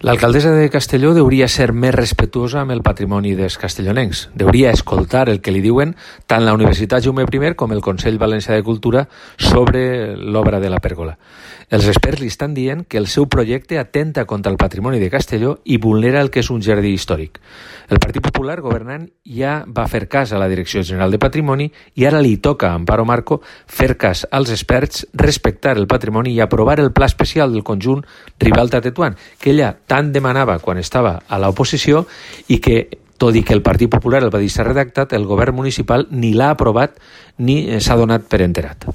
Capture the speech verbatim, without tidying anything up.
L'alcaldessa de Castelló deuria ser més respetuosa amb el patrimoni dels castellonencs. Deuria escoltar el que li diuen tant la Universitat Jaume I com el Consell Valencià de Cultura sobre l'obra de la pèrgola. Els experts li estan dient que el seu projecte atenta contra el patrimoni de Castelló i vulnera el que és un jardí històric. El Partit Popular, governant, ja va fer cas a la Direcció General de Patrimoni i ara li toca a Amparo Marco fer cas als experts, respectar el patrimoni i aprovar el pla especial del conjunt Ribalta-Tetuan, que ella tant demanava quan estava a l'oposició i que, tot i que el Partit Popular el va deixar redactat, el govern municipal ni l'ha aprovat ni s'ha donat per enterat.